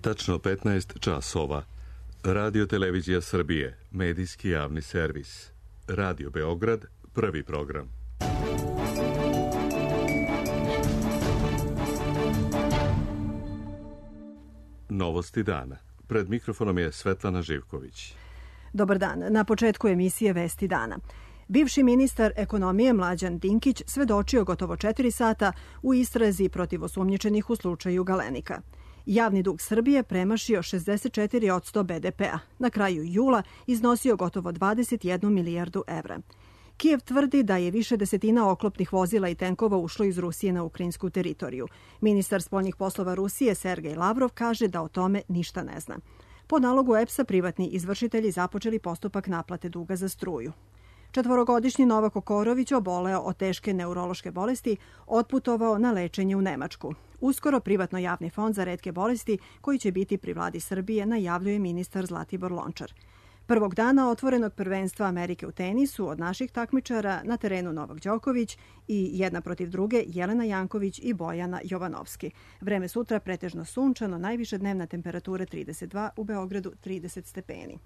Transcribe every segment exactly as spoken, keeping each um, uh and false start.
Tačno petnaest časova. Radio Televizija Srbije, medijski javni servis. Radio Beograd, prvi program. Novosti dana. Pred mikrofonom je Svetlana Živković. Dobar dan. Na početku emisije Vesti dana. Bivši ministar ekonomije Mlađan Dinkić svedočio gotovo četiri sata u istrazi protiv osumnjičenih u slučaju Galenika. Javni dug Srbije premašio šezdeset četiri posto be de pea. Na kraju jula iznosio gotovo dvadeset jednu milijardu evra. Kijev tvrdi da je više desetina oklopnih vozila i tenkova ušlo iz Rusije na ukrajinsku teritoriju. Ministar spoljnih poslova Rusije Sergej Lavrov kaže da o tome ništa ne zna. Po nalogu E P S-a privatni izvršitelji započeli postupak naplate duga za struju. Četvorogodišnji Novak Okorović oboleo od teške neurološke bolesti, otputovao na lečenje u Nemačku. Uskoro privatno javni fond za retke bolesti, koji će biti pri vladi Srbije, najavljuje ministar Zlatibor Lončar. Prvog dana otvorenog prvenstva Amerike u tenisu od naših takmičara na terenu Novak Đoković i jedna protiv druge Jelena Janković i Bojana Jovanovski. Vreme sutra pretežno sunčano, najviše dnevna temperatura trideset dva, u Beogradu trideset stepeni.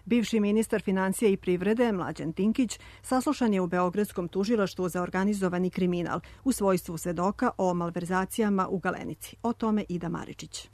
Bivši ministar financija i privrede Mlađan Dinkić saslušan je u Beogradskom tužilaštvu za organizovani kriminal u svojstvu svedoka o malverzacijama u Galenici. O tome Ida Maričić.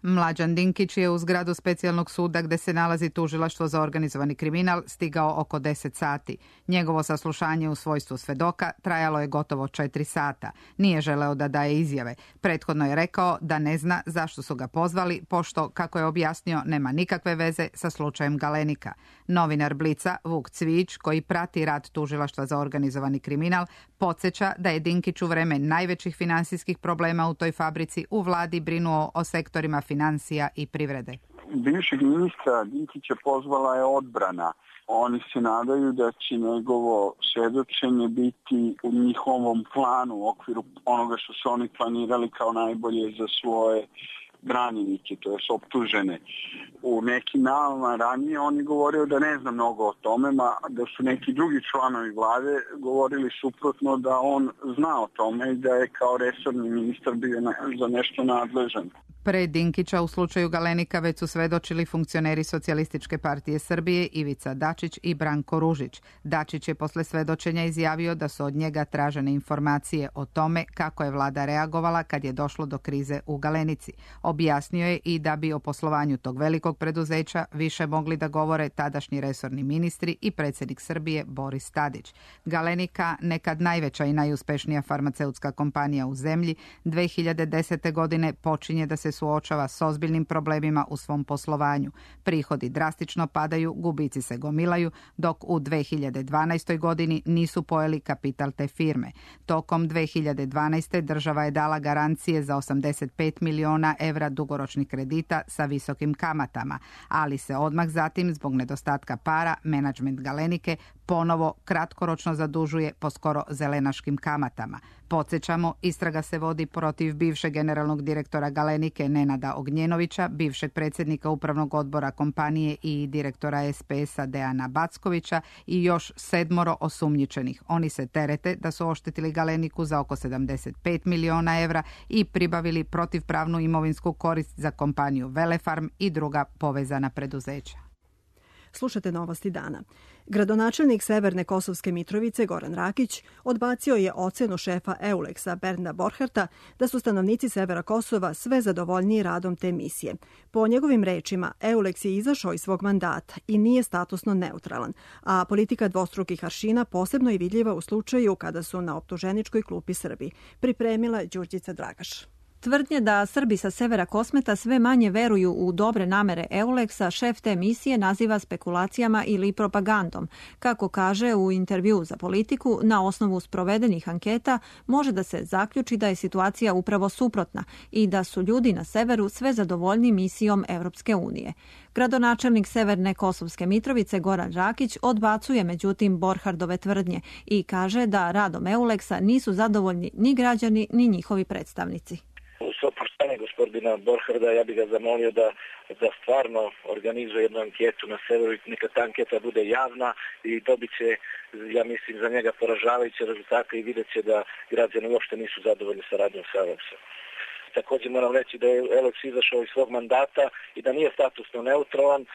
Mlađan Dinkić je u zgradu specijalnog suda gde se nalazi tužilaštvo za organizovani kriminal stigao oko deset sati. Njegovo saslušanje u svojstvu svedoka trajalo je gotovo četiri sata. Nije želeo da daje izjave. Prethodno je rekao da ne zna zašto su ga pozvali, pošto, kako je objasnio, nema nikakve veze sa slučajem Galenika. Novinar Blica Vuk Cvijić, koji prati rad tužilaštva za organizovani kriminal, podsjeća da je Dinkić u vreme najvećih finansijskih problema u toj fabrici u vladi brinuo o sektorima financija i privrede. Bivšeg ministra Dinkića pozvala je odbrana. Oni se nadaju da će njegovo svedočenje biti u njihovom planu u okviru onoga što su oni planirali kao najbolje za svoje branjenike, to je optužene. U nekim najavama ranije on je govorio da ne zna mnogo o tome, ma da su neki drugi članovi vlade govorili suprotno da on zna o tome i da je kao resorni ministar bio za nešto nadležan. Pre Dinkića u slučaju Galenika već su svedočili funkcioneri Socijalističke partije Srbije Ivica Dačić i Branko Ružić. Dačić je posle svedočenja izjavio da su od njega tražene informacije o tome kako je vlada reagovala kad je došlo do krize u Galenici. Objasnio je i da bi o poslovanju tog velikog preduzeća više mogli da govore tadašnji resorni ministri i predsjednik Srbije Boris Tadić. Galenika, nekad najveća i najuspešnija farmaceutska kompanija u zemlji, dve hiljade desete. godine počinje da se suočava s ozbiljnim problemima u svom poslovanju. Prihodi drastično padaju, gubici se gomilaju, dok u dve hiljade dvanaestoj. godini nisu pojeli kapital te firme. Tokom dve hiljade dvanaeste. država je dala garancije za osamdeset pet miliona evra dugoročnih kredita sa visokim kamatama, ali se odmah zatim, zbog nedostatka para, menadžment Galenike ponovo kratkoročno zadužuje po skoro zelenaškim kamatama. Podsjećamo, istraga se vodi protiv bivšeg generalnog direktora Galenike Nenada Ognjenovića, bivšeg predsjednika upravnog odbora kompanije i direktora es pe es-a Dejana Backovića i još sedmoro osumnjičenih. Oni se terete da su oštetili Galeniku za oko sedamdeset pet miliona evra i pribavili protivpravnu imovinsku korist za kompaniju Velefarm i druga povezana preduzeća. Slušate novosti dana. Gradonačelnik Severne Kosovske Mitrovice Goran Rakić odbacio je ocenu šefa Euleksa Bernda Borharta da su stanovnici severa Kosova sve zadovoljniji radom te misije. Po njegovim rečima, Euleks je izašao iz svog mandata i nije statusno neutralan, a politika dvostrukih aršina posebno je vidljiva u slučaju kada su na optuženičkoj klupi Srbi. Pripremila Đurđica Dragaš. Tvrdnje da Srbi sa severa Kosmeta sve manje veruju u dobre namere Euleksa šef te misije naziva spekulacijama ili propagandom. Kako kaže u intervju za Politiku, na osnovu sprovedenih anketa može da se zaključi da je situacija upravo suprotna i da su ljudi na severu sve zadovoljni misijom Evropske unije. Gradonačelnik Severne Kosovske Mitrovice Goran Rakić odbacuje međutim Borhardove tvrdnje i kaže da radom Euleksa nisu zadovoljni ni građani ni njihovi predstavnici. Svo poštovanje, gospodine gospodina Borharda, ja bih ga zamolio da, da stvarno organizuje jednu anketu na severu i neka ta anketa bude javna i dobit će, ja mislim, za njega poražavajuće rezultate i vidjet će da građani uopšte nisu zadovoljni sa radom sa Eleksom. Također moram reći da je Eleks izašao iz svog mandata i da nije statusno neutralan.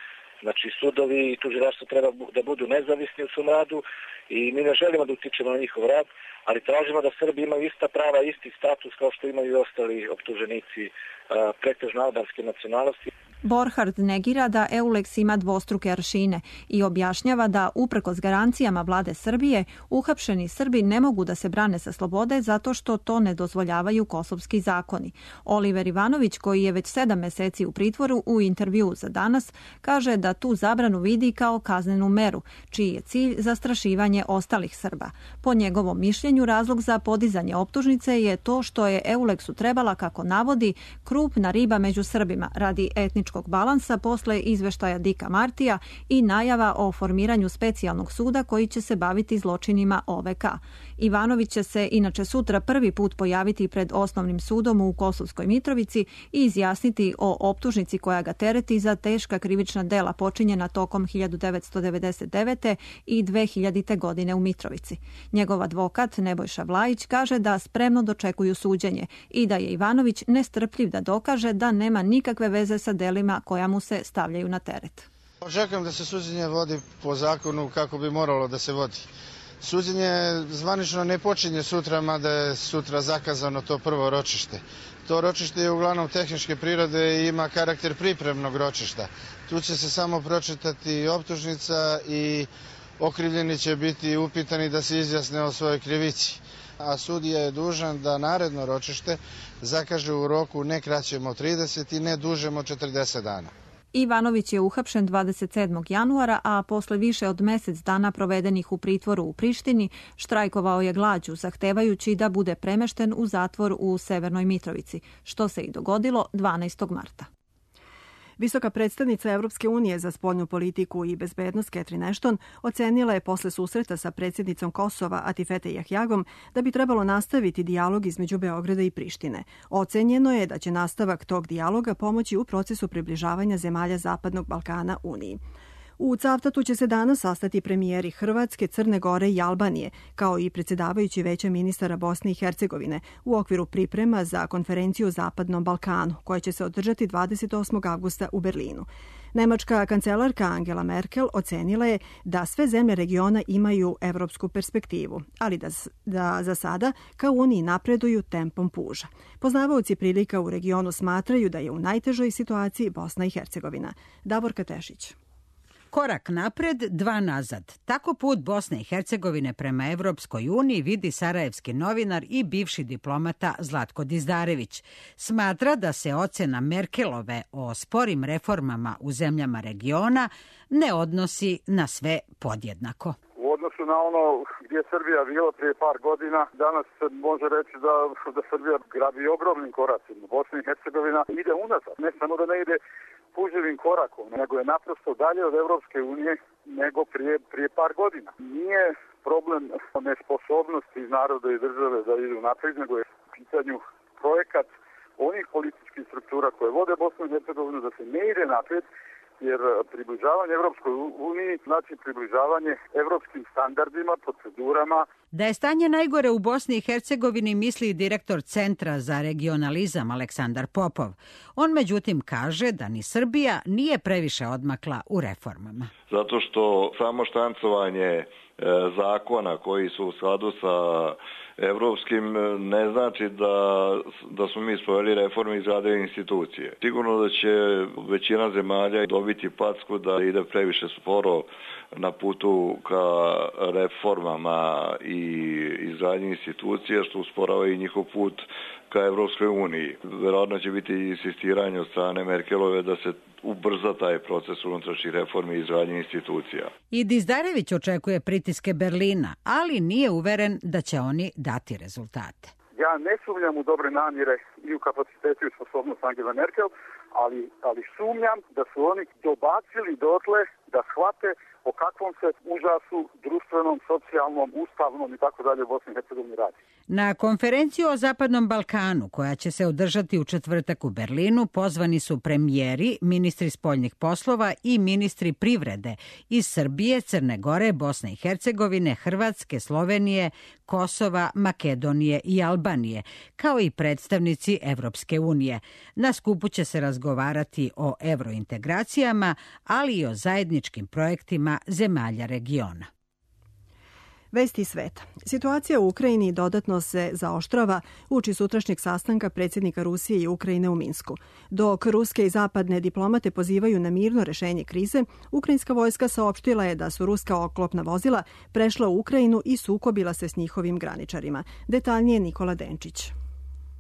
Znači, sudovi i tužilaštvo treba da budu nezavisni u svom radu i mi ne želimo da utičemo na njihov rad, ali tražimo da Srbi imaju ista prava, isti status kao što imaju i ostali optuženici pretežno albanske nacionalnosti. Borhard negira da Euleks ima dvostruke aršine i objašnjava da, uprkos garancijama vlade Srbije, uhapšeni Srbi ne mogu da se brane sa slobode zato što to ne dozvoljavaju kosovski zakoni. Oliver Ivanović, koji je već sedam meseci u pritvoru, u intervju za Danas, kaže da tu zabranu vidi kao kaznenu meru, čiji je cilj zastrašivanje ostalih Srba. Po njegovom mišljenju, razlog za podizanje optužnice je to što je Euleksu trebala, kako navodi, krupna riba među Srbima radi etničkog balansa posle izveštaja Dika Martija i najava o formiranju specijalnog suda koji će se baviti zločinima O V K. Ivanović će se inače sutra prvi put pojaviti pred osnovnim sudom u Kosovskoj Mitrovici i izjasniti o optužnici koja ga tereti za teška krivična dela počinjena tokom hiljadu devetsto devedeset devete. i dve hiljadite. godine u Mitrovici. Njegov advokat Nebojša Vlajić kaže da spremno dočekuju suđenje i da je Ivanović nestrpljiv da dokaže da nema nikakve veze sa delima koja mu se stavljaju na teret. Očekujem da se suđenje vodi po zakonu kako bi moralo da se vodi. Suđenje zvanično ne počinje sutra, mada je sutra zakazano to prvo ročište. To ročište je uglavnom tehničke prirode i ima karakter pripremnog ročišta. Tu će se samo pročitati optužnica i okrivljeni će biti upitani da se izjasne o svojoj krivici. A sudija je dužan da naredno ročište zakaže u roku ne kraćem od trideset i ne dužem od četrdeset dana. Ivanović je uhapšen dvadeset sedmog januara, a posle više od mesec dana provedenih u pritvoru u Prištini, štrajkovao je glađu, zahtevajući da bude premešten u zatvor u Severnoj Mitrovici, što se i dogodilo dvanaestog marta. Visoka predstavnica Evropske unije za spoljnu politiku i bezbednost Catherine Ashton ocenila je posle susreta sa predsjednicom Kosova Atifete Jahjagom da bi trebalo nastaviti dijalog između Beograda i Prištine. Ocenjeno je da će nastavak tog dijaloga pomoći u procesu približavanja zemalja Zapadnog Balkana Uniji. U Cavtatu će se danas sastati premijeri Hrvatske, Crne Gore i Albanije, kao i predsjedavajući Veća ministara Bosne i Hercegovine u okviru priprema za konferenciju o Zapadnom Balkanu, koja će se održati dvadeset osmog avgusta u Berlinu. Nemačka kancelarka Angela Merkel ocenila je da sve zemlje regiona imaju evropsku perspektivu, ali da, da za sada kao Uniji napreduju tempom puža. Poznavaoci prilika u regionu smatraju da je u najtežoj situaciji Bosna i Hercegovina. Davorka Tešić. Korak napred, dva nazad. Tako put Bosne i Hercegovine prema Evropskoj uniji vidi sarajevski novinar i bivši diplomata Zlatko Dizdarević. Smatra da se ocena Merkelove o sporim reformama u zemljama regiona ne odnosi na sve podjednako. U odnosu na ono gdje je Srbija bila prije par godina, danas se može reći da, da Srbija grabi ogromnim koracima. Bosna i Hercegovina ide unazad. Ne samo da ne ide puževim korakom, nego je naprosto dalje od Evropske unije nego prije, prije par godina. Nije problem nesposobnosti naroda i države da idu naprijed, nego je u pitanju projekat onih političkih struktura koje vode Bosnu i Hercegovinu da se ne ide naprijed, jer približavanje Evropskoj uniji znači približavanje evropskim standardima, procedurama. Da je stanje najgore u Bosni i Hercegovini misli direktor Centra za regionalizam Aleksandar Popov. On međutim kaže da ni Srbija nije previše odmakla u reformama. Zato što samo štancovanje zakona koji su u skladu sa evropskim ne znači da, da smo mi sproveli reforme i izgradili institucije. Sigurno da će većina zemalja dobiti packu da ide previše sporo na putu ka reformama i izgradnji institucija, što usporava i njihov put ka Evropskoj uniji. Verovatno će biti insistiranje od strane Merkelove da se ubrza taj proces unutrašnjih reformi i izgradnje institucija. I Dizdarević očekuje pritiske Berlina, ali nije uveren da će oni dati rezultate. Ja ne sumnjam u dobre namjere i u kapacitetu i sposobnost Angela Merkel, ali, ali sumnjam da su oni dobacili dotle da shvate o kakvom se užasu društvenom, socijalnom, ustavnom i tako dalje u Bosni i Hercegovini radi. Na konferenciju o Zapadnom Balkanu, koja će se održati u četvrtak u Berlinu, pozvani su premijeri, ministri spoljnih poslova i ministri privrede iz Srbije, Crne Gore, Bosne i Hercegovine, Hrvatske, Slovenije, Kosova, Makedonije i Albanije, kao i predstavnici Evropske unije. Na skupu će se razgovarati o evrointegracijama, ali i o zajedničkim projektima zemalja regiona. Vesti sveta. Situacija u Ukrajini dodatno se zaoštrava uoči sutrašnjeg sastanka predsjednika Rusije i Ukrajine u Minsku. Dok ruske i zapadne diplomate pozivaju na mirno rešenje krize, ukrajinska vojska saopštila je da su ruska oklopna vozila prešla u Ukrajinu i sukobila se s njihovim graničarima. Detaljnije Nikola Denčić.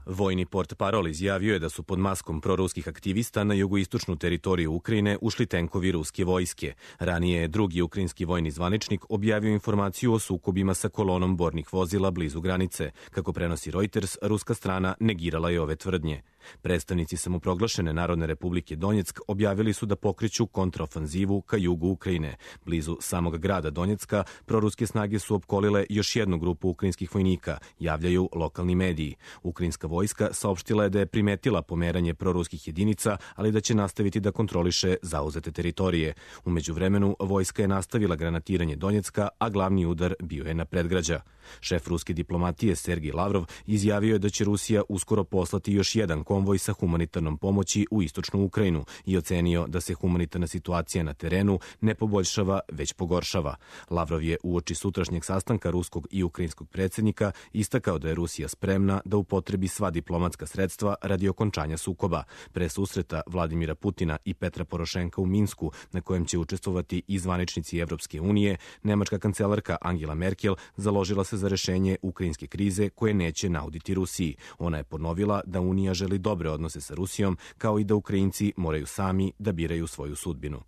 Vojni portparol izjavio je da su pod maskom proruskih aktivista na jugoistočnu teritoriju Ukrajine ušli tenkovi ruske vojske. Ranije je drugi ukrajinski vojni zvaničnik objavio informaciju o sukobima sa kolonom bornih vozila blizu granice. Kako prenosi Reuters, ruska strana negirala je ove tvrdnje. Predstavnici samoproglašene Narodne republike Donjeck objavili su da pokreću kontraofanzivu ka jugu Ukrajine. Blizu samog grada Donjecka proruske snage su opkolile još jednu grupu ukrajinskih vojnika, javljaju lokalni mediji. Ukrajinska vojska saopštila je da je primetila pomeranje proruskih jedinica, ali da će nastaviti da kontroliše zauzete teritorije. U međuvremenu, vojska je nastavila granatiranje Donjecka, a glavni udar bio je na predgrađa. Šef ruske diplomatije Sergij Lavrov izjavio je da će Rusija uskoro poslati još jedan konvoj sa humanitarnom pomoći u istočnu Ukrajinu i ocenio da se humanitarna situacija na terenu ne poboljšava, već pogoršava. Lavrov je uoči sutrašnjeg sastanka ruskog i ukrajinskog predsjednika istakao da je Rusija spremna da upotrebi sva diplomatska sredstva radi okončanja sukoba. Pre susreta Vladimira Putina i Petra Porošenka u Minsku, na kojem će učestvovati i zvaničnici Evropske unije, nemačka kancelarka Angela Merkel založila se za rešenje ukrajinske krize koje neće nauditi Rusiji. Ona je ponovila da Unija želi dobre odnose sa Rusijom, kao i da Ukrajinci moraju sami da biraju svoju sudbinu.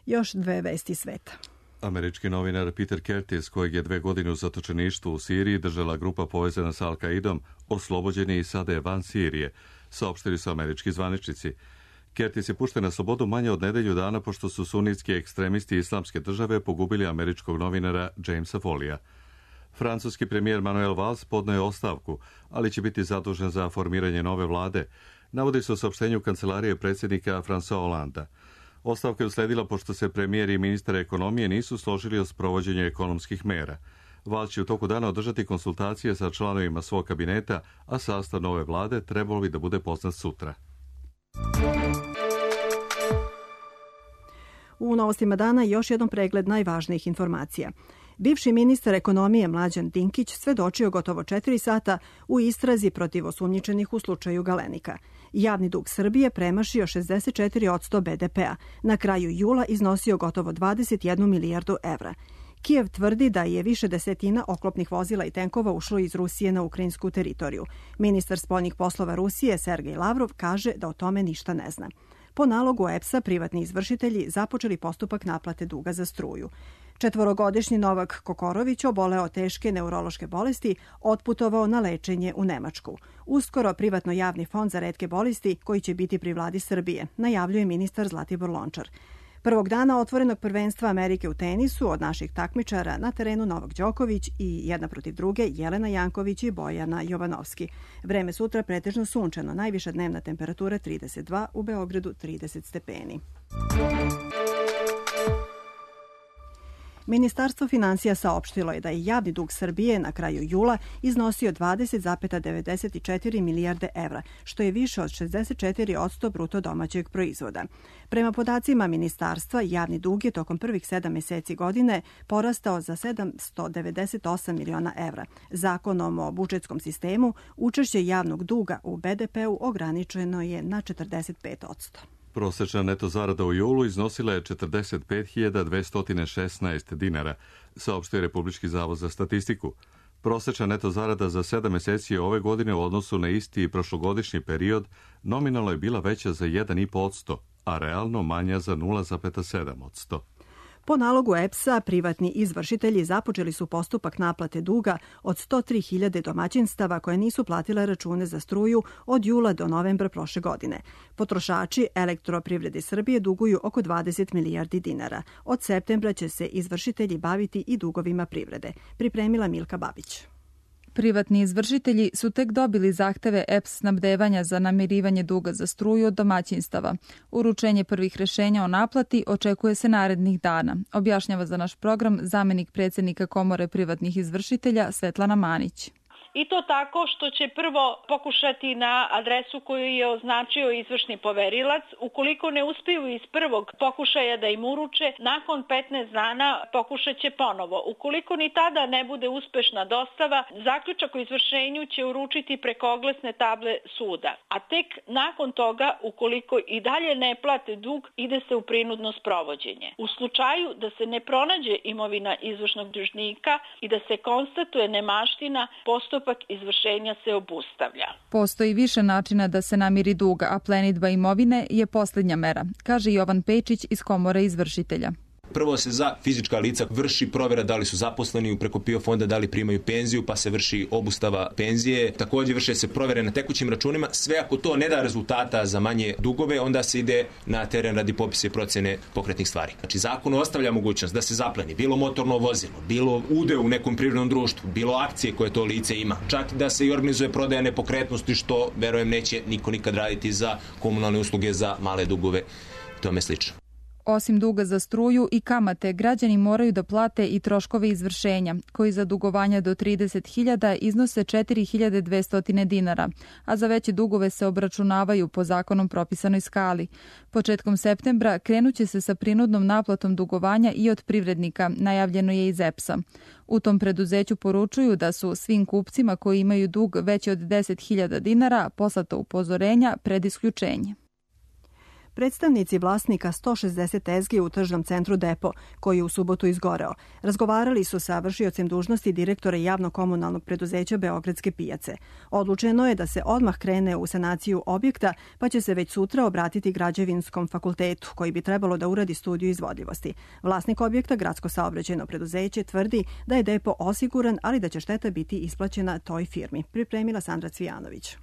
Još dve vesti sveta. Američki novinar Peter Curtis, kojeg je dve godine u zatočeništvu u Siriji držala grupa povezana sa Al-Kaidom, oslobođen je i sada je van Sirije, saopštili su američki zvaničnici. Curtis je pušten na slobodu manje od nedelju dana pošto su sunitski ekstremisti Islamske države pogubili američkog novinara Jamesa Folija. Francuski premijer Manuel Valls podneo je ostavku, ali će biti zadužen za formiranje nove vlade, navodi se u saopštenju kancelarije predsjednika François Hollanda. Ostavka je usledila pošto se premijer i ministar ekonomije nisu složili o sprovođenju ekonomskih mera. Valls će u toku dana održati konsultacije sa članovima svog kabineta, a sastav nove vlade trebalo bi da bude poznat sutra. U novostima dana još jedan pregled najvažnijih informacija. Bivši ministar ekonomije Mlađan Dinkić svedočio gotovo četiri sata u istrazi protiv osumnjičenih u slučaju Galenika. Javni dug Srbije premašio šezdeset četiri posto be de pea. Na kraju jula iznosio gotovo dvadeset jednu milijardu evra. Kijev tvrdi da je više desetina oklopnih vozila i tenkova ušlo iz Rusije na ukrajinsku teritoriju. Ministar spoljnih poslova Rusije Sergej Lavrov kaže da o tome ništa ne zna. Po nalogu E P S-a privatni izvršitelji započeli postupak naplate duga za struju. Četvorogodišnji Novak Kokorović oboleo teške neurološke bolesti, otputovao na lečenje u Nemačku. Uskoro privatno javni fond za retke bolesti koji će biti pri vladi Srbije, najavljuje ministar Zlatibor Lončar. Prvog dana otvorenog prvenstva Amerike u tenisu od naših takmičara na terenu Novak Đoković i jedna protiv druge Jelena Janković i Bojana Jovanovski. Vreme sutra pretežno sunčano, najviša dnevna temperatura trideset dva, u Beogradu trideset stepeni. Ministarstvo finansija saopštilo je da je javni dug Srbije na kraju jula iznosio dvadeset zarez devedeset četiri milijarde evra, što je više od šezdeset četiri posto bruto domaćeg proizvoda. Prema podacima ministarstva, javni dug je tokom prvih sedam meseci godine porastao za sedamsto devedeset osam miliona evra. Zakonom o budžetskom sistemu, učešće javnog duga u be de peu ograničeno je na četrdeset pet posto. Prosečna neto zarada u julu iznosila je četrdeset pet hiljada dvesta šesnaest dinara, saopštio je Republički zavod za statistiku. Prosečna neto zarada za sedam meseci ove godine u odnosu na isti prošlogodišnji period nominalno je bila veća za jedan zarez pet posto, a realno manja za nula zarez sedam posto. Po nalogu E P S-a, privatni izvršitelji započeli su postupak naplate duga od sto tri hiljade domaćinstava koje nisu platile račune za struju od jula do novembra prošle godine. Potrošači Elektroprivrede Srbije duguju oko dvadeset milijardi dinara. Od septembra će se izvršitelji baviti i dugovima privrede. Pripremila Milka Babić. Privatni izvršitelji su tek dobili zahteve E P S snabdevanja za namirivanje duga za struju od domaćinstava. Uručenje prvih rešenja o naplati očekuje se narednih dana, objašnjava za naš program zamenik predsjednika Komore privatnih izvršitelja Svetlana Manić. I to tako što će prvo pokušati na adresu koju je označio izvršni poverilac. Ukoliko ne uspiju iz prvog pokušaja da im uruče, nakon petnaest dana pokušat će ponovo. Ukoliko ni tada ne bude uspešna dostava, zaključak o izvršenju će uručiti preko oglasne table suda. A tek nakon toga, ukoliko i dalje ne plate dug, ide se u prinudno sprovođenje. U slučaju da se ne pronađe imovina izvršnog dužnika i da se konstatuje nemaština, postupak izvršenja se obustavlja. Postoji više načina da se namiri dug, a plenidba imovine je posljednja mera, kaže Jovan Pejčić iz Komore izvršitelja. Prvo se za fizička lica vrši provjera da li su zaposleni preko P I O fonda, da li primaju penziju, pa se vrši obustava penzije. Također vrše se provjere na tekućim računima. Sve ako to ne da rezultata za manje dugove, onda se ide na teren radi popisa i procjene pokretnih stvari. Znači, zakon ostavlja mogućnost da se zapleni bilo motorno vozilo, bilo ude u nekom privrednom društvu, bilo akcije koje to lice ima. Čak da se i organizuje prodaja nepokretnosti, što, verujem, neće niko nikad raditi za komunalne usluge, za male dugove i tome slično. Osim duga za struju i kamate, građani moraju da plate i troškove izvršenja, koji za dugovanja do trideset hiljada iznose četiri hiljade dvesta dinara, a za veće dugove se obračunavaju po zakonom propisanoj skali. Početkom septembra krenuće se sa prinudnom naplatom dugovanja i od privrednika, najavljeno je iz E P S-a. U tom preduzeću poručuju da su svim kupcima koji imaju dug veći od deset hiljada dinara poslata upozorenja pred isključenje. Predstavnici vlasnika sto šezdeset tezgi u tržnom centru Depo, koji je u subotu izgoreo, razgovarali su sa vršiocem dužnosti direktora javno-komunalnog preduzeća Beogradske pijace. Odlučeno je da se odmah krene u sanaciju objekta, pa će se već sutra obratiti Građevinskom fakultetu, koji bi trebalo da uradi studiju izvodljivosti. Vlasnik objekta, Gradsko saobraćajno preduzeće, tvrdi da je Depo osiguran, ali da će šteta biti isplaćena toj firmi. Pripremila Sandra Cvijanović.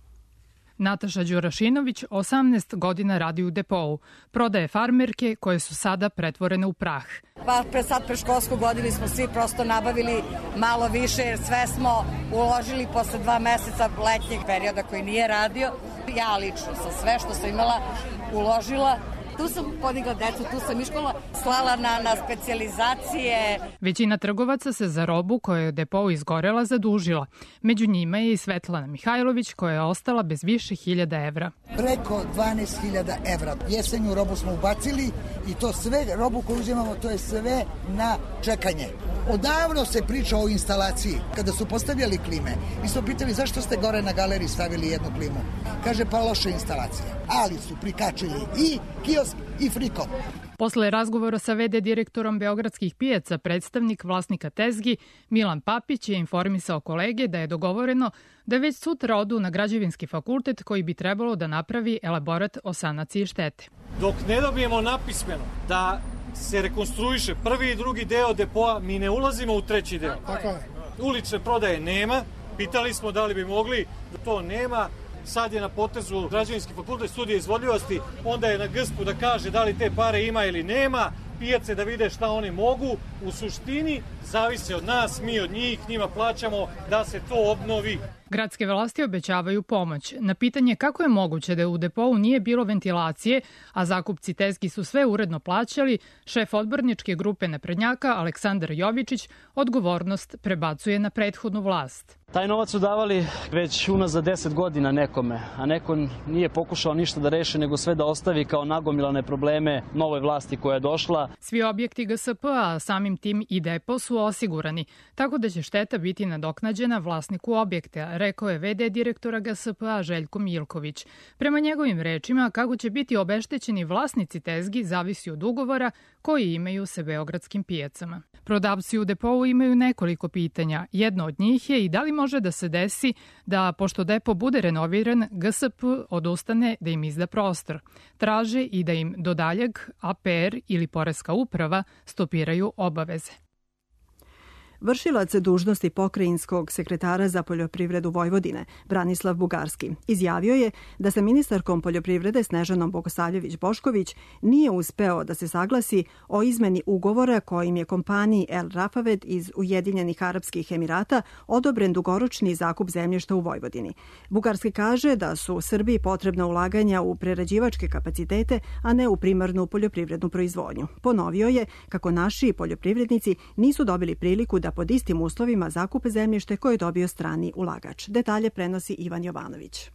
Nataša Đurašinović osamnaest godina radi u Depou. Prodaje farmerke koje su sada pretvorene u prah. Pa pre sad pre školsku godinu smo svi prosto nabavili malo više jer sve smo uložili posle dva meseca letnjeg perioda koji nije radio. Ja lično sam sve što sam imala uložila. Tu sam podigla decu, tu sam iškola, slala na, na specijalizacije. Većina trgovaca se za robu koja je Depou izgorela zadužila. Među njima je i Svetlana Mihajlović koja je ostala bez više hiljada evra. Preko dvanaest hiljada evra. Jesenju robu smo ubacili i to sve, robu koju uzimamo, to je sve na čekanje. Odavno se priča o instalaciji. Kada su postavljali klime, mi smo pitali zašto ste gore na galeriji stavili jednu klimu. Kaže pa loša instalacija. Ali su prikačili i kiosk i friko. Posle razgovora sa ve de direktorom Beogradskih pijaca, predstavnik vlasnika tezgi Milan Papić je informisao kolege da je dogovoreno da već sutra odu na Građevinski fakultet koji bi trebalo da napravi elaborat o sanaciji štete. Dok ne dobijemo napismeno da se rekonstruiše prvi i drugi deo Depoa, mi ne ulazimo u treći deo. Tako je. Ulične prodaje nema, pitali smo da li bi mogli, to nema. Sad je na potezu Građevinski fakultet studije izvodljivosti, onda je na G S P-u da kaže da li te pare ima ili nema, pijace da vide šta oni mogu. U suštini zavise od nas, mi od njih, njima plaćamo da se to obnovi. Gradske vlasti obećavaju pomoć. Na pitanje kako je moguće da u Depou nije bilo ventilacije, a zakupci tezgi su sve uredno plaćali, šef odborničke grupe naprednjaka Aleksandar Jovičić odgovornost prebacuje na prethodnu vlast. Taj novac su davali već unazad deset godina nekome, a neko nije pokušao ništa da reši, nego sve da ostavi kao nagomilane probleme novoj vlasti koja je došla. Svi objekti G S P, a samim tim i Depo su osigurani, tako da će šteta biti nadoknađena vlasniku objekta, rekao je ve de direktora G S P A Željko Miljković. Prema njegovim rečima, kako će biti obeštećeni vlasnici tezgi zavisi od ugovora koji imaju sa beogradskim pijacama. Prodavci u depou imaju nekoliko pitanja. Jedno od njih je i da li može da se desi da, pošto depo bude renoviran, G S P odustane da im izda prostor. Traže i da im do daljeg A P R ili Poreska uprava stopiraju obaveze. Vršilac dužnosti pokrajinskog sekretara za poljoprivredu Vojvodine, Branislav Bugarski, izjavio je da sa ministarkom poljoprivrede Snežanom Bogosavljević-Bošković nije uspeo da se saglasi o izmeni ugovora kojim je kompaniji El Rafaved iz Ujedinjenih Arapskih Emirata odobren dugoročni zakup zemljišta u Vojvodini. Bugarski kaže da su Srbiji potrebna ulaganja u prerađivačke kapacitete, a ne u primarnu poljoprivrednu proizvodnju. Ponovio je kako naši poljoprivrednici nisu dobili priliku da pod istim uslovima zakupe zemljište koje je dobio strani ulagač. Detalje prenosi Ivan Jovanović.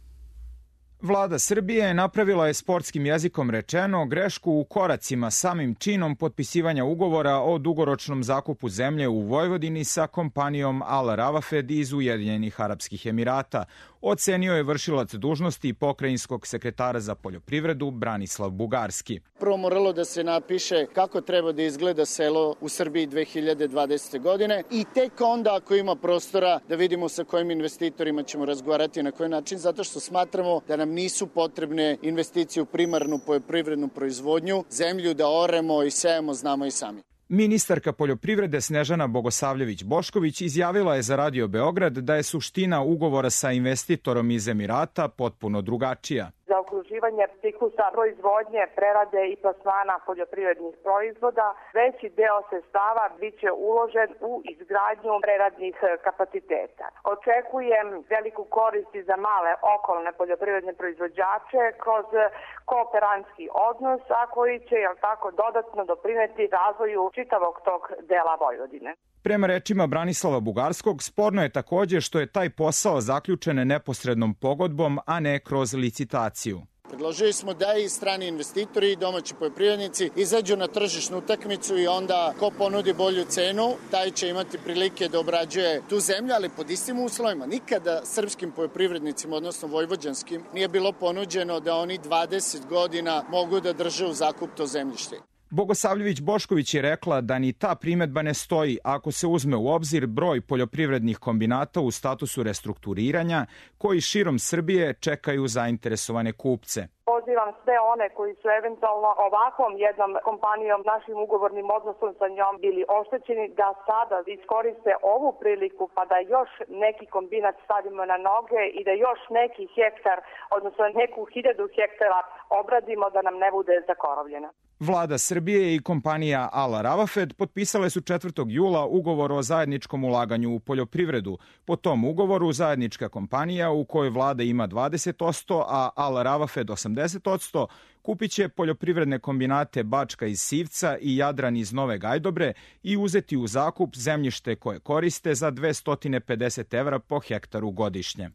Vlada Srbije napravila je sportskim jezikom rečeno grešku u koracima samim činom potpisivanja ugovora o dugoročnom zakupu zemlje u Vojvodini sa kompanijom Al Ravafed iz Ujedinjenih Arapskih Emirata, ocenio je vršilac dužnosti pokrajinskog sekretara za poljoprivredu Branislav Bugarski. Prvo moralo da se napiše kako treba da izgleda selo u Srbiji dve hiljade dvadesete. godine i tek onda ako ima prostora da vidimo sa kojim investitorima ćemo razgovarati na koji način, zato što smatramo da nam nisu potrebne investicije u primarnu poljoprivrednu proizvodnju, zemlju da oremo i sejemo znamo i sami. Ministarka poljoprivrede Snežana Bogosavljević-Bošković izjavila je za Radio Beograd da je suština ugovora sa investitorom iz Emirata potpuno drugačija. Za okruživanje ciklusa proizvodnje, prerade i plasmana poljoprivrednih proizvoda, veći deo sredstava biće uložen u izgradnju preradnih kapaciteta. Očekujem veliku korist za male okolne poljoprivredne proizvođače kroz kooperantski odnos, a koji će jel tako dodatno doprineti razvoju čitavog tog dela Vojvodine. Prema rečima Branislava Bugarskog, sporno je takođe što je taj posao zaključen neposrednom pogodbom, a ne kroz licitaciju. Predložili smo da i strani investitori i domaći poljoprivrednici izađu na tržišnu utakmicu i onda ko ponudi bolju cenu, taj će imati prilike da obrađuje tu zemlju, ali pod istim uslovima. Nikada srpskim poljoprivrednicima, odnosno vojvođanskim, nije bilo ponuđeno da oni dvadeset godina mogu da drže u zakup to zemljište. Bogosavljević-Bošković je rekla da ni ta primetba ne stoji ako se uzme u obzir broj poljoprivrednih kombinata u statusu restrukturiranja koji širom Srbije čekaju zainteresovane kupce. Pozivam sve one koji su eventualno ovakvom jednom kompanijom, našim ugovornim odnosom sa njom bili oštećeni, da sada iskoriste ovu priliku pa da još neki kombinat stavimo na noge i da još neki hektar, odnosno neku hiljadu hektara obradimo da nam ne bude zakorovljena. Vlada Srbije i kompanija Al Ravafed potpisale su četvrtog jula ugovor o zajedničkom ulaganju u poljoprivredu. Po tom ugovoru zajednička kompanija u kojoj vlada ima dvadeset posto, a Al Ravafed osamdeset posto, kupit će poljoprivredne kombinate Bačka iz Sivca i Jadran iz Nove Gajdobre i uzeti u zakup zemljište koje koriste za dvesta pedeset evra po hektaru godišnje.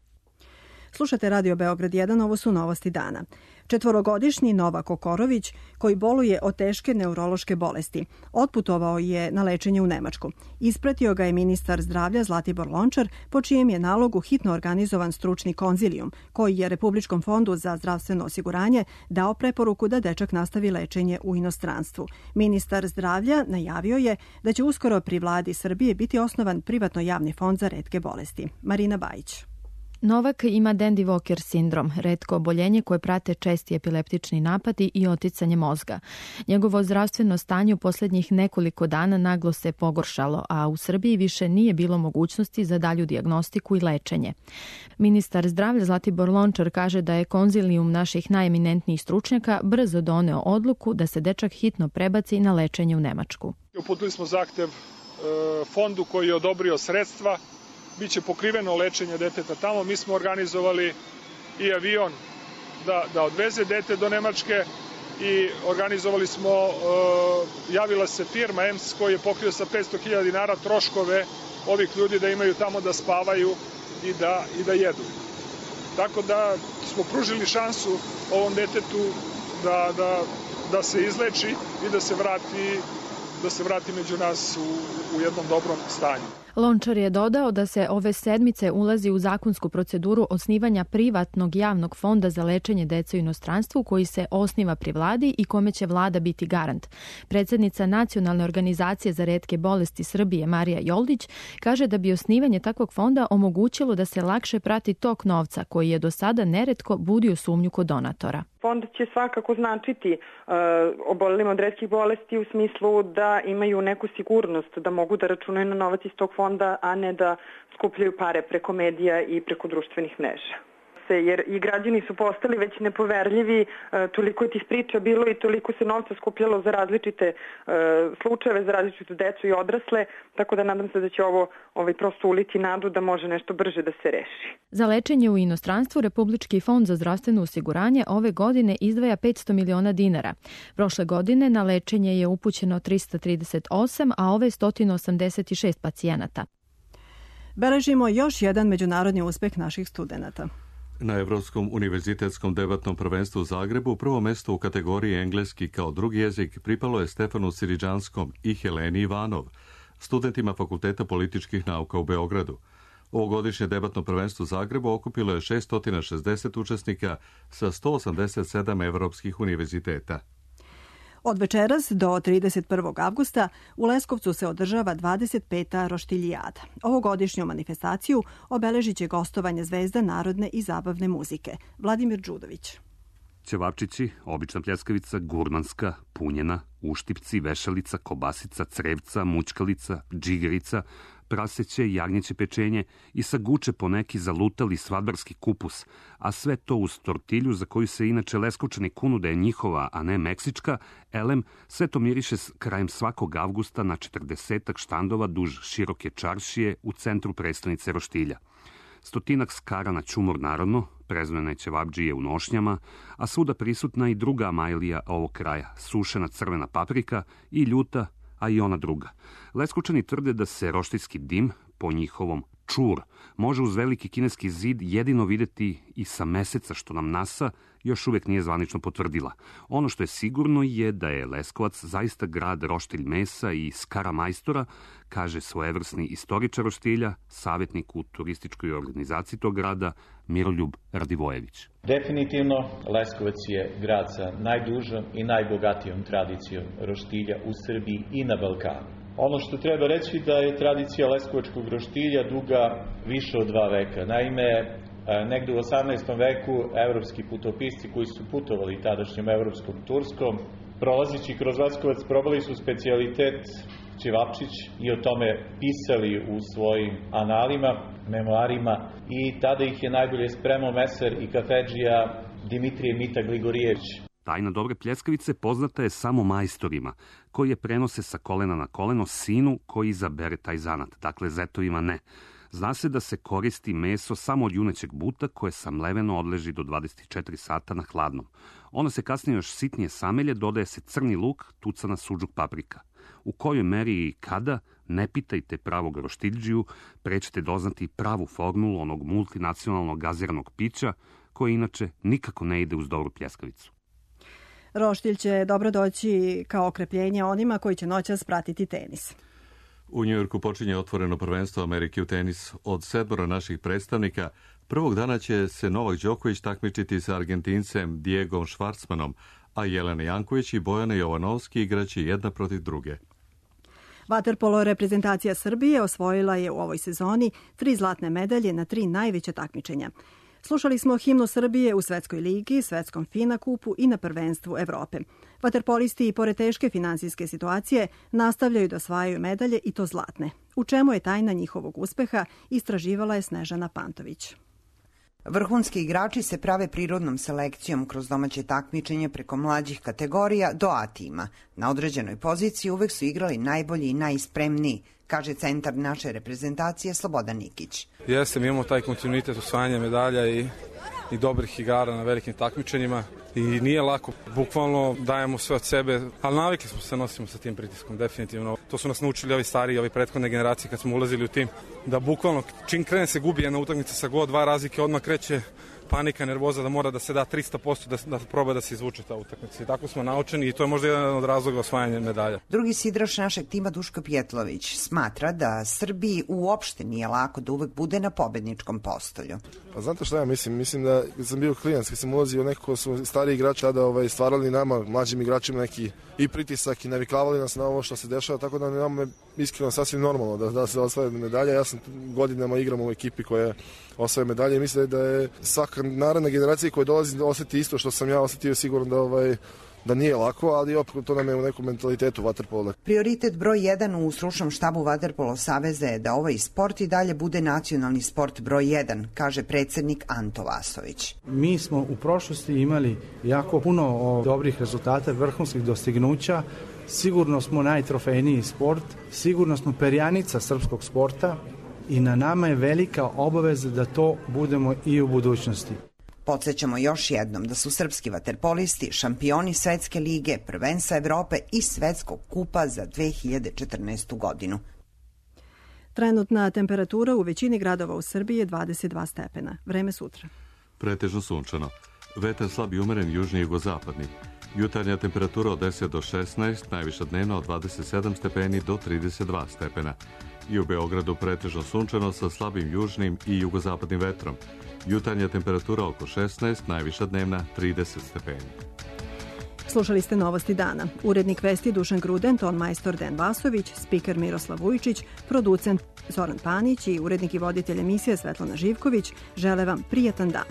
Slušate Radio Beograd jedan, ovo su novosti dana. Četvorogodišnji Novak Okorović, koji boluje od teške neurološke bolesti, otputovao je na lečenje u Nemačku. Ispratio ga je ministar zdravlja Zlatibor Lončar, po čijem je nalogu hitno organizovan stručni konzilijum, koji je Republičkom fondu za zdravstveno osiguranje dao preporuku da dečak nastavi lečenje u inostranstvu. Ministar zdravlja najavio je da će uskoro pri vladi Srbije biti osnovan privatno javni fond za retke bolesti. Marina Bajić. Novak ima Dandy Walker sindrom, retko oboljenje koje prate česti epileptični napadi i oticanje mozga. Njegovo zdravstveno stanje u posljednjih nekoliko dana naglo se pogoršalo, a u Srbiji više nije bilo mogućnosti za dalju dijagnostiku i lečenje. Ministar zdravlja Zlatibor Lončar kaže da je konzilijum naših najeminentnijih stručnjaka brzo doneo odluku da se dečak hitno prebaci na lečenje u Nemačku. Uputili smo zahtev e, fondu koji je odobrio sredstva. Biće pokriveno lečenje deteta tamo. Mi smo organizovali i avion da, da odveze dete do Nemačke i organizovali smo, uh, javila se firma E M S koji je pokrio sa petsto hiljada dinara troškove ovih ljudi da imaju tamo da spavaju i da, i da jedu. Tako da smo pružili šansu ovom detetu da, da, da se izleči i da se vrati da se vrati među nas u, u jednom dobrom stanju. Lončar je dodao da se ove sedmice ulazi u zakonsku proceduru osnivanja privatnog javnog fonda za lečenje dece u inostranstvu koji se osniva pri vladi i kome će vlada biti garant. Predsjednica Nacionalne organizacije za retke bolesti Srbije Marija Joldić kaže da bi osnivanje takvog fonda omogućilo da se lakše prati tok novca koji je do sada neretko budio sumnju kod donatora. Fond će svakako značiti uh, obolelima od retkih bolesti u smislu da imaju neku sigurnost, da mogu da računaju na novac iz tog fonda, a ne da skupljaju pare preko medija i preko društvenih mreža. Jer i građani su postali već nepoverljivi, toliko je tih priča bilo i toliko se novca skupljalo za različite slučajeve, za različitu decu i odrasle, tako da nadam se da će ovo ovaj, prosto uliti nadu da može nešto brže da se reši. Za lečenje u inostranstvu Republički fond za zdravstveno osiguranje ove godine izdvaja petsto miliona dinara. Prošle godine na lečenje je upućeno trista trideset osam, a ove sto osamdeset šest pacijenata. Beležimo još jedan međunarodni uspeh naših studenata. Na Evropskom univerzitetskom debatnom prvenstvu u Zagrebu prvo mesto u kategoriji engleski kao drugi jezik pripalo je Stefanu Siriđanskom i Heleni Ivanov, studentima Fakulteta političkih nauka u Beogradu. Ovogodišnje debatno prvenstvo u Zagrebu okupilo je šeststo šezdeset učesnika sa sto osamdeset sedam evropskih univerziteta. Od večeras do trideset prvog avgusta u Leskovcu se održava dvadeset peta roštiljijada. Ovogodišnju manifestaciju obeležit će gostovanje zvezda narodne i zabavne muzike. Vladimir Đudović. Ćevapčići, obična pljeskavica, gurmanska, punjena, uštipci, vešalica, kobasica, crevca, mućkalica, džigerica, praseće, jagnjeće pečenje i sa guče po neki zalutali svadbarski kupus, a sve to uz tortilju za koju se inače Leskovčani kunu da je njihova, a ne meksička, elem, sve to miriše krajem svakog avgusta na četrdesetak štandova duž široke čaršije u centru prestonice Roštilja. Stotinak skara na ćumor narodno, prezvene ćevabdžije u nošnjama, a svuda prisutna i druga amajlija ovog kraja, sušena crvena paprika i ljuta, a i ona druga. Leskovčani tvrde da se roštilski dim, po njihovom čur, može uz veliki kineski zid jedino videti i sa meseca što nam NASA još uvijek nije zvanično potvrdila. Ono što je sigurno je da je Leskovac zaista grad roštilj mesa i skara majstora, kaže svojevrsni istoričar Roštilja, savjetnik u turističkoj organizaciji tog grada, Miroljub Radivojević. Definitivno, Leskovac je grad sa najdužom i najbogatijom tradicijom roštilja u Srbiji i na Balkanu. Ono što treba reći da je tradicija leskovačkog roštilja duga više od dva veka. Naime, negde u osamnaestom veku evropski putopisci koji su putovali tadašnjom evropskom Turskom, prolazići kroz Leskovac, probali su specijalitet ćevapčić i o tome pisali u svojim analima, memoarima i tada ih je najbolje spremao meser i kafedžija Dimitrije Mita Gligorijević. Tajna dobre pljeskavice poznata je samo majstorima, koji je prenose sa kolena na koleno sinu koji izabere taj zanat, dakle zetovima ne. Zna se da se koristi meso samo od junećeg buta koje samleveno odleži do dvadeset četiri sata na hladnom. Ono se kasnije još sitnije samelje, dodaje se crni luk, tucana suđuk paprika. U kojoj meri i kada, ne pitajte pravog roštiljđiju, pre ćete doznati pravu formulu onog multinacionalnog gaziranog pića, koje inače nikako ne ide uz dobru pljeskavicu. Roštilj će dobro doći kao okrepljenje onima koji će noćas pratiti tenis. U Njujorku počinje otvoreno prvenstvo Amerike u tenis. Od sedmoro naših predstavnika prvog dana će se Novak Đoković takmičiti sa Argentincem Diegom Švarcmanom, a Jelena Janković i Bojana Jovanovski igraće jedna protiv druge. Vaterpolo reprezentacija Srbije osvojila je u ovoj sezoni tri zlatne medalje na tri najveća takmičenja. Slušali smo himnu Srbije u Svetskoj ligi, Svetskom FINA kupu i na prvenstvu Evrope. Vaterpolisti i pored teške finansijske situacije nastavljaju da osvajaju medalje i to zlatne. U čemu je tajna njihovog uspeha, istraživala je Snežana Pantović. Vrhunski igrači se prave prirodnom selekcijom kroz domaće takmičenje preko mlađih kategorija do A tima. Na određenoj poziciji uvek su igrali najbolji i najspremniji, kaže centar naše reprezentacije Slobodan Nikić. Jeste, mi imamo taj kontinuitet osvajanja medalja i, i dobrih igara na velikim takmičenjima i nije lako, bukvalno dajemo sve od sebe, ali navikli smo se, nosimo sa tim pritiskom, definitivno. To su nas naučili ovi stariji, ovi prethodne generacije kad smo ulazili u tim, da bukvalno čim krene se gubi jedna utakmica sa god dva razlike, odmah kreće panika, nervoza da mora da se da tristo posto da, da proba da se izvuče ta utakmica. I tako smo naučeni i to je možda jedan od razloga osvajanja medalja. Drugi sidraš našeg tima Duško Pjetlović smatra da Srbiji uopšte nije lako da uvek bude na pobedničkom postolju. Pa znate šta ja mislim? Mislim da kad sam bio klinac, kad sam ulazio nekako su stariji igrači tada ovaj, stvarali nama, mlađim igračima neki i pritisak i naviklavali nas na ovo što se dešava, tako da nama je iskreno sasvim normalno da, da se osvaja medalja. Ja sam godinama igram u ekipi koja osvaja medalje i mislim da je svaka naredna generacija koja dolazi da oseti isto što sam ja osetio, sigurno da ovaj da nije lako, ali opet to nam je u nekom mentalitetu vaterpola. Prioritet broj jedan u stručnom štabu Vaterpolo saveza je da ovaj sport i dalje bude nacionalni sport broj jedan, kaže predsednik Anto Vasović. Mi smo u prošlosti imali jako puno dobrih rezultata, vrhunskih dostignuća. Sigurno smo najtrofejniji sport, sigurno smo perjanica srpskog sporta i na nama je velika obaveza da to budemo i u budućnosti. Podsjećamo još jednom da su srpski vaterpolisti šampioni Svetske lige, prvenstva Evrope i Svetskog kupa za dve hiljade četrnaestu godinu. Trenutna temperatura u većini gradova u Srbiji je dvadeset dva stepena. Vreme sutra. Pretežno sunčano. Vetar slab i umeren južni i jugozapadni. Jutarnja temperatura od deset do šesnaest, najviša dnevna od dvadeset sedam stepeni do trideset dva stepena. I u Beogradu pretežno sunčano sa slabim južnim i jugozapadnim vetrom. Jutarnja temperatura oko šesnaest, najviša dnevna trideset stepeni. Slušali ste Novosti dana. Urednik vesti Dušan Gruden, ton majstor Den Vasović, spiker Miroslav Vujčić, producent Zoran Panić i urednik i voditelj emisije Svetlana Živković žele vam prijatan dan.